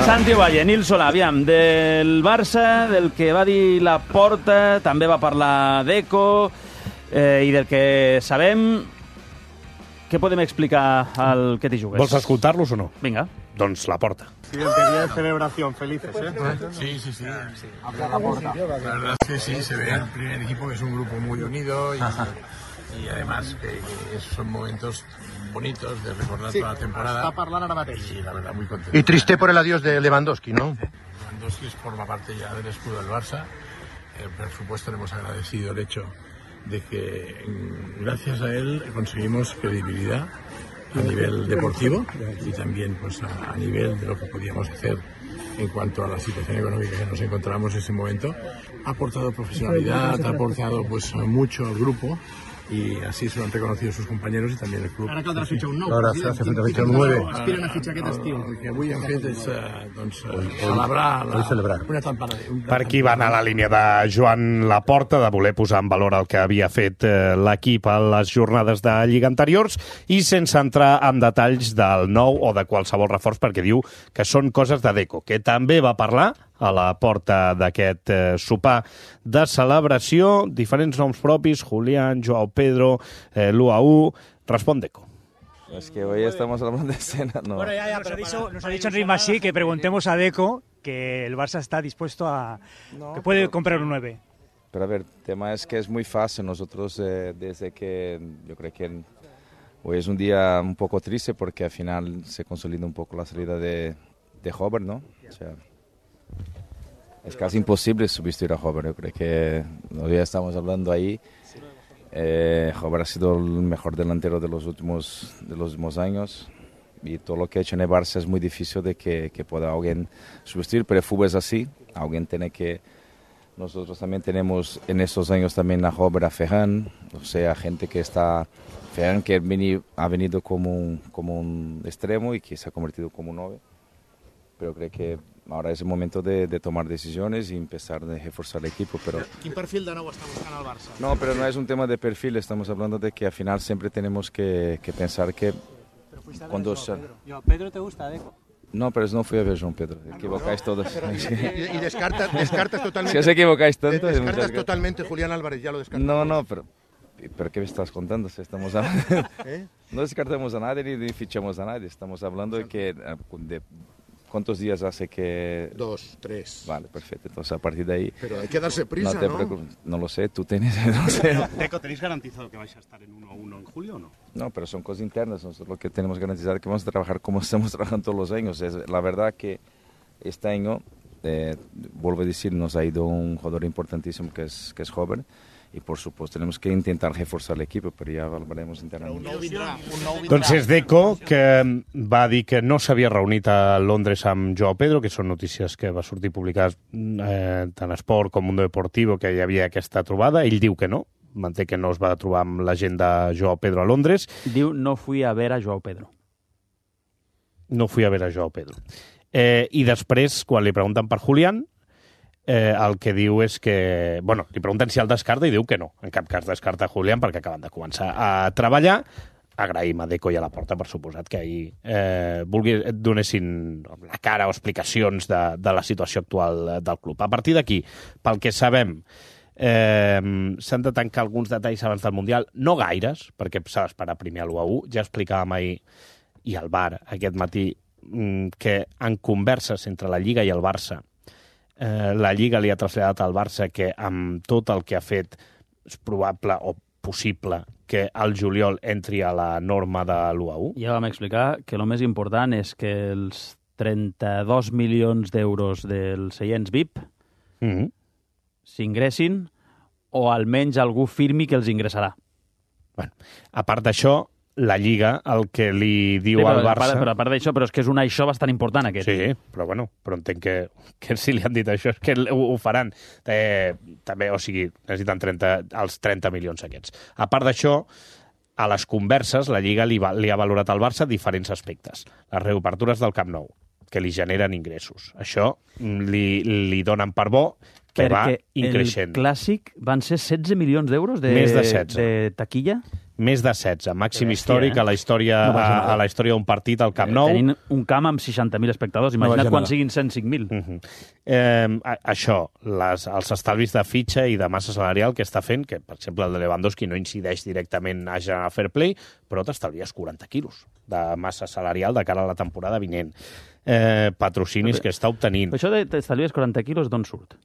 Santi Ovalle, Nil Solà, aviam, del Barça, del que va dir Laporta, també va parlar Deco, i del que sabem, què podem explicar al que t'hi jugues? Vols escoltar-los o no? Vinga. Doncs Laporta. Siguiente día de celebración, felices, ¿eh? Sí. Habla Laporta. La verdad es que sí, se ve el primer equipo que es un grupo muy unido y además que son momentos bonitos de recordar toda la temporada. Está parlando ara mateix. Sí, la verdad, muy contento. Y triste por el adiós de Lewandowski, ¿no? Lewandowski forma parte ya del escudo del Barça. Por supuesto, le hemos agradecido el hecho de que gracias a él conseguimos credibilidad a nivel deportivo y también pues a nivel de lo que podíamos hacer en cuanto a la situación económica que nos encontramos en ese momento. Ha aportado profesionalidad, ha aportado pues mucho al grupo y así se lo han reconocido sus compañeros y también el club. Ara caldrà fitxar un nou. Ara hace falta fichar un 9. Aspiren a fitxar aquest estiu. El que avui hem fet és celebrar una temporada. Per aquí va anar la línia de Joan Laporta, de voler posar en valor el que havia fet l'equip a les jornades de Lliga anteriors i sense entrar en detalls del nou o de qualsevol reforç, perquè diu que són coses de Deco, que també va parlar a la porta d'aquest sopar de celebració, diferents noms propis, Julián, Joao Pedro, l'UAU. Respon Deco. Es que hoy estamos hablando de escena, ¿no? Bueno, ya, nos ha dicho en ritmo así que preguntemos a Deco que el Barça está dispuesto a... que puede comprar un 9. Pero a ver, el tema es que es muy fácil. Nosotros, desde que yo creo que hoy es un día un poco triste porque al final se consolida un poco la salida de Hover, ¿no? O sea, es casi imposible sustituir a Hover. Yo creo que hoy estamos hablando ahí. Hover ha sido el mejor delantero de los últimos años y todo lo que ha hecho en el Barça es muy difícil de que pueda alguien sustituir, pero el fútbol es así. Alguien tiene que... Nosotros también tenemos en estos años también a Hover, a Ferran, o sea, gente que está... Ferran que ha venido como un extremo y que se ha convertido como un 9. Pero creo que ahora es el momento de tomar decisiones y empezar a reforzar el equipo. Pero... Quin perfil de nou està buscant el Barça? No, pero no es un tema de perfil, estamos hablando de que al final siempre tenemos que pensar que... Cuando Pedro te gusta, Deco. No, pero no fui a ver Joan Pedro, equivocáis todos. Y descartas totalmente. Si os equivocáis tanto... Descartas totalmente Julián Álvarez, ya lo descartas. No, pero ¿qué me estás contando? Si estamos hablando... No descartamos a nadie ni fichamos a nadie, estamos hablando de que... ¿Cuántos días hace que...? 2, 3. Vale, perfecto. Entonces, a partir de ahí... Pero hay que darse prisa, ¿no? No lo sé, tú tienes... No sé. Deco, ¿tenéis garantizado que vais a estar en 1-1 en julio o no? No, pero son cosas internas. Nosotros lo que tenemos que garantizar es que vamos a trabajar como estamos trabajando todos los años. La verdad que este año, vuelvo a decir, nos ha ido un jugador importantísimo que es joven. Y por supuesto tenemos que intentar reforzar el equip, però ja hablaremos internament. Doncs és Deco, que va dir que no s'havia reunit a Londres amb Joao Pedro, que són notícies que va sortir publicades tant a Esport com Mundo Deportivo, que hi havia aquesta trobada. Ell diu que no, manté que no es va trobar amb la gent de Joao Pedro a Londres. Diu, no fui a ver a Joao Pedro. No fui a ver a Joao Pedro. I després, quan li pregunten per Julián, el que diu és que... Bueno, li pregunten si el descarta i diu que no. En cap cas descarta Julián perquè acaben de començar a treballar. Agraïm a Deco i a Laporta, per suposat, que ahir donessin la cara o explicacions de la situació actual del club. A partir d'aquí, pel que sabem, s'han de tancar alguns detalls abans del Mundial. No gaires, perquè s'ha d'esperar primer a l'1-1. Ja explicàvem ahir, i al bar aquest matí, que en converses entre la Lliga i el Barça la Lliga li ha traslladat al Barça que amb tot el que ha fet és probable o possible que al juliol entri a la norma de l'1-1. Ja vam explicar que el més important és que els 32 milions d'euros dels seients VIP s'ingressin o almenys algú firmi que els ingressarà. Bueno, a part d'això, la Lliga, el que li diu al Barça... Però a part d'això, però és que és un això bastant important, aquest. Sí, però entenc que si li han dit això és que ho faran. També, o sigui, necessiten els 30 milions aquests. A part d'això, a les converses, la Lliga li ha valorat al Barça diferents aspectes. Les reobertures del Camp Nou, que li generen ingressos. Això li donen per bo que va increixent. Perquè el Clàssic van ser 16 milions d'euros de taquilla? Més de 16, màxim Que bèstia, històric a la història a la història d'un partit al Camp Nou. Tenint un camp amb 60.000 espectadors. Imagina't quan siguin 105.000. Això, els estalvis de fitxa i de massa salarial que està fent, que per exemple el de Lewandowski no incideix directament a generar fair play, però t'estalvies 40 quilos de massa salarial de cara a la temporada vinent. Patrocinis que està obtenint. Però això de t'estalvies 40 quilos d'on surt?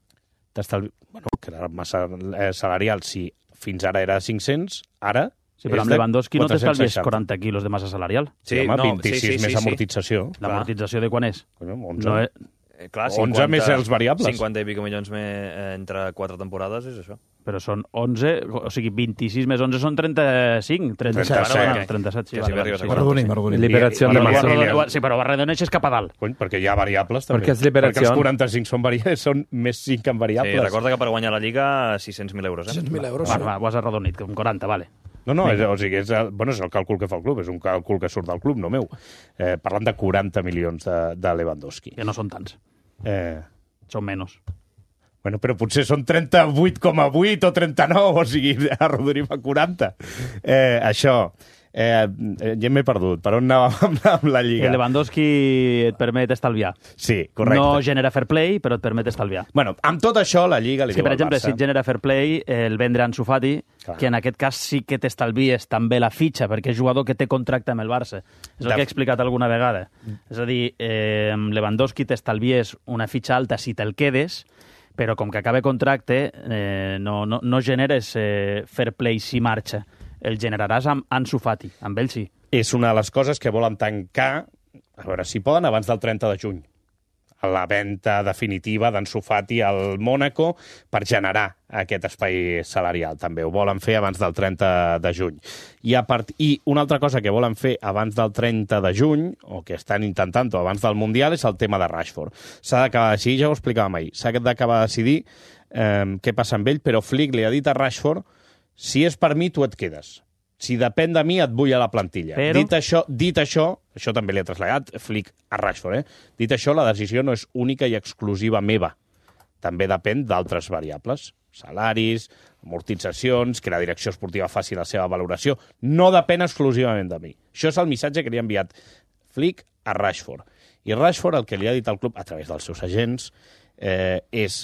Bueno, que la massa salarial, si fins ara era 500, ara Sí, però amb Lewandowski no t'estalvies 40 quilos de massa salarial. Sí, home, 26 més amortització. L'amortització de quan és? 11. No, clar, 11 més els variables. 50 i pico milions entre 4 temporades és això. Però són 11, o sigui, 26 més 11 són 35, 37, sí. Perdoni. Liberació de massa. Sí, però redoneixes cap a dalt. Cony, perquè hi ha variables, també. Perquè és liberació. Perquè els 45 són més 5 en variables. Sí, recorda que per guanyar la Lliga 600.000 euros. 600.000 euros. Va, ho has arredonit, com 40, vale. No, o sigui, és el càlcul que fa el club, és un càlcul que surt del club, no meu. Parlant de 40 milions de Lewandowski. Que no són tants. Són menys. Bueno, però potser són 38,8 o 39, o sigui, arrodonim a 40. Això, ja m'he perdut. Per on anàvem amb la Lliga? Que Lewandowski et permet estalviar. Sí, correcte. No genera fair play, però et permet estalviar. Bueno, amb tot això, la Lliga li diu per al exemple, Barça... si et genera fair play, el vendre Ansu Fati, que en aquest cas sí que t'estalvies també la fitxa, perquè és jugador que té contracte amb el Barça. És el que he explicat alguna vegada. És a dir, amb Lewandowski t'estalvies una fitxa alta si te'l quedes, però com que acaba contracte no generes fair play si marxa. El generaràs amb Ansu Fati, amb ell sí. És una de les coses que volen tancar, a veure, si poden, abans del 30 de juny. La venda definitiva d'Ansu Fati al Mónaco per generar aquest espai salarial. També ho volen fer abans del 30 de juny. I una altra cosa que volen fer abans del 30 de juny, o que estan intentant abans del Mundial, és el tema de Rashford. S'ha d'acabar de decidir, ja ho explicàvem ahir, s'ha d'acabar de decidir què passa amb ell, però Flick li ha dit a Rashford: si és per mi, tu et quedes. Si depèn de mi, et vull a la plantilla. Però... Dit això també li ha traslladat Flick a Rashford, Dit això, la decisió no és única i exclusiva meva. També depèn d'altres variables. Salaris, amortitzacions, que la direcció esportiva faci la seva valoració. No depèn exclusivament de mi. Això és el missatge que li ha enviat Flick a Rashford. I Rashford el que li ha dit al club, a través dels seus agents, és: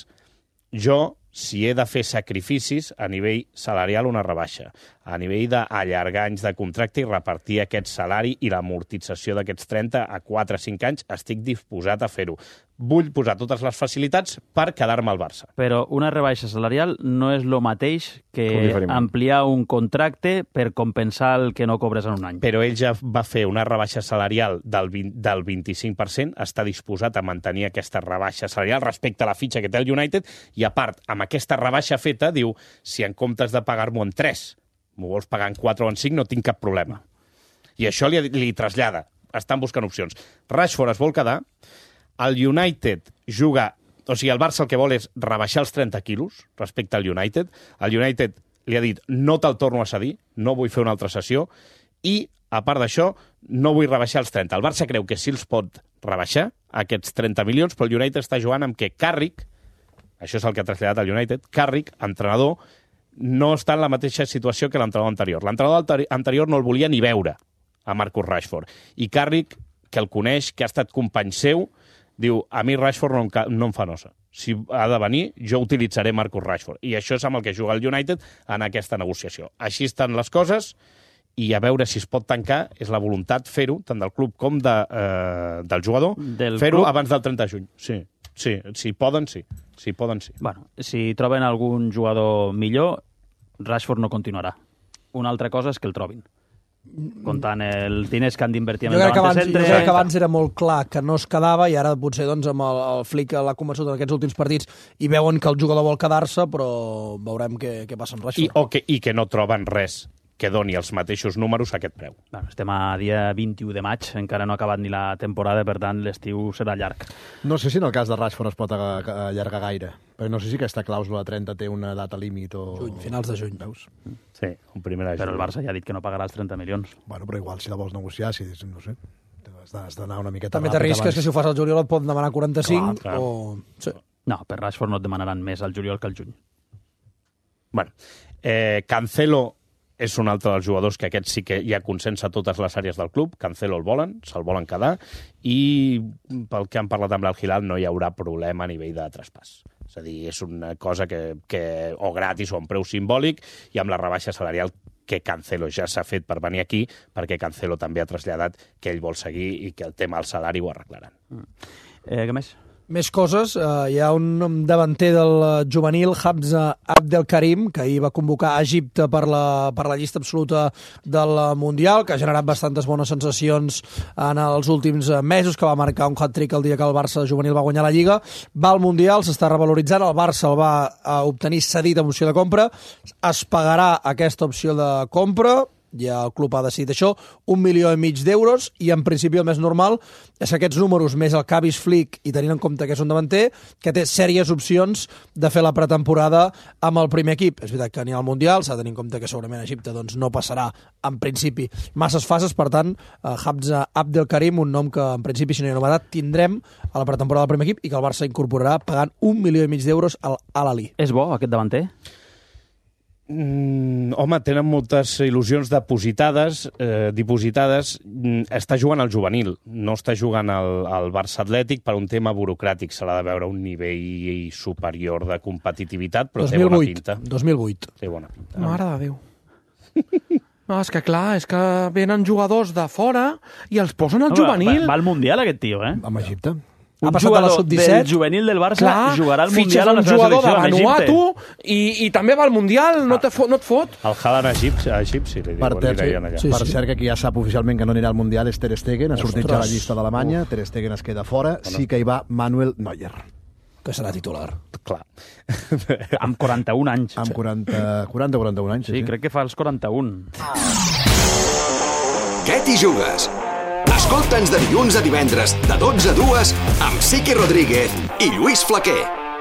jo, si he de fer sacrificis, a nivell salarial una rebaixa, a nivell d'allargar anys de contracte i repartir aquest salari i l'amortització d'aquests 30 a 4 o 5 anys, estic disposat a fer-ho. Vull posar totes les facilitats per quedar-me al Barça. Però una rebaixa salarial no és el mateix que ampliar un contracte per compensar el que no cobres en un any. Però ell ja va fer una rebaixa salarial del 25%, està disposat a mantenir aquesta rebaixa salarial respecte a la fitxa que té el United, i a part, amb aquesta rebaixa feta, diu: si en comptes de pagar-m'ho en 3, m'ho vols pagar en 4 o en 5, no tinc cap problema. I això li trasllada. Estan buscant opcions. Rashford es vol quedar. El United juga... O sigui, el Barça el que vol és rebaixar els 30 quilos respecte al United. El United li ha dit: no te'l torno a cedir, no vull fer una altra sessió, i, a part d'això, no vull rebaixar els 30. El Barça creu que sí els pot rebaixar, aquests 30 milions, però el United està jugant amb que Carrick, això és el que ha traslladat el United, Carrick, entrenador, no està en la mateixa situació que l'entrenador anterior. L'entrenador anterior no el volia ni veure, a Marcus Rashford. I Carrick, que el coneix, que ha estat company seu, diu: a mi Rashford no em fa nosa. Si ha de venir, jo utilitzaré Marcus Rashford. I això és amb el que juga el United en aquesta negociació. Així estan les coses, i a veure si es pot tancar. És la voluntat fer-ho, tant del club com del jugador, fer-ho abans del 30 de juny. Sí, si poden, sí. Bueno, si troben algun jugador millor, Rashford no continuarà. Una altra cosa és que el trobin. Comptant els diners que han d'invertir en el davant de centre... Jo crec que abans era molt clar que no es quedava, i ara potser doncs, amb el Flick l'ha convençut en aquests últims partits i veuen que el jugador vol quedar-se, però veurem què passa amb Rashford. I que no troben res que doni els mateixos números a aquest preu. Bueno, estem a dia 21 de maig, encara no ha acabat ni la temporada, per tant l'estiu serà llarg. No sé si en el cas de Rashford es pot allargar gaire, perquè no sé si aquesta clàusula de 30 té una data límit o... Juny, finals de juny, veus? Sí, un primer de juny. Però el Barça ja ha dit que no pagarà els 30 milions. Bueno, però igual, si la vols negociar, no sé, has d'anar una miqueta també t'arrisques que si ho fas al juliol et poden demanar 45 clar. o... Sí. No, per Rashford no et demanaran més al juliol que al juny. Bueno, Cancelo és un altre dels jugadors que aquest sí que hi ha consens a totes les àrees del club. Cancelo el volen, se'l volen quedar, i pel que han parlat amb l'Al-Hilal no hi haurà problema a nivell de traspàs. És a dir, és una cosa que o gratis o a un preu simbòlic, i amb la rebaixa salarial que Cancelo ja s'ha fet per venir aquí, perquè Cancelo també ha traslladat que ell vol seguir i que el tema del salari ho arreglaran. Què més? Més coses. Hi ha un davanter del juvenil, Hamza Abdelkarim, que ahir va convocar a Egipte per la llista absoluta del Mundial, que ha generat bastantes bones sensacions en els últims mesos, que va marcar un hat-trick el dia que el Barça juvenil va guanyar la Lliga. Va al Mundial, s'està revaloritzant, el Barça el va obtenir cedit amb opció de compra, es pagarà aquesta opció de compra, ja el club ha decidit això, 1,5 milions d'euros, i en principi el més normal és que aquests números, més el Kavis Flick, i tenint en compte que és un davanter, que té sèries opcions de fer la pretemporada amb el primer equip. És veritat que ni al Mundial, s'ha de tenir en compte que segurament Egipte doncs, no passarà, en principi, masses fases, per tant, Hamza Abdelkarim, un nom que en principi, si no hi ha novetat, tindrem a la pretemporada del primer equip i que el Barça incorporarà pagant 1,5 milions d'euros al Al-Ahly. És bo, aquest davanter? Home, tenen moltes il·lusions dipositades. Està jugant al juvenil, no està jugant al Barça Atlètic per un tema burocràtic. Se l'ha de veure un nivell superior de competitivitat, però 2008, té bona pinta. 2008. Té bona pinta. Mare de Déu. No, és que clar, és que venen jugadors de fora i els posen al juvenil. Va al Mundial, aquest tio, eh? Amb Egipte. Un jugador del juvenil del Barça jugarà al Mundial a la seva selecció en Egipte. I també va al Mundial, no et fot? El Haaland egipci, li deien allà. Per cert, que qui ja sap oficialment que no anirà al Mundial és Ter Stegen, ha sortit ja la llista d'Alemanya, Ter Stegen es queda fora, sí que hi va Manuel Neuer, que serà titular. Clar. Amb 41 anys. Amb 41 anys. Sí, crec que fa els 41. Què t'hi jugues? Escolta'ns de dilluns a divendres, de 12 a 2, amb Siqui Rodríguez i Lluís Flaquer.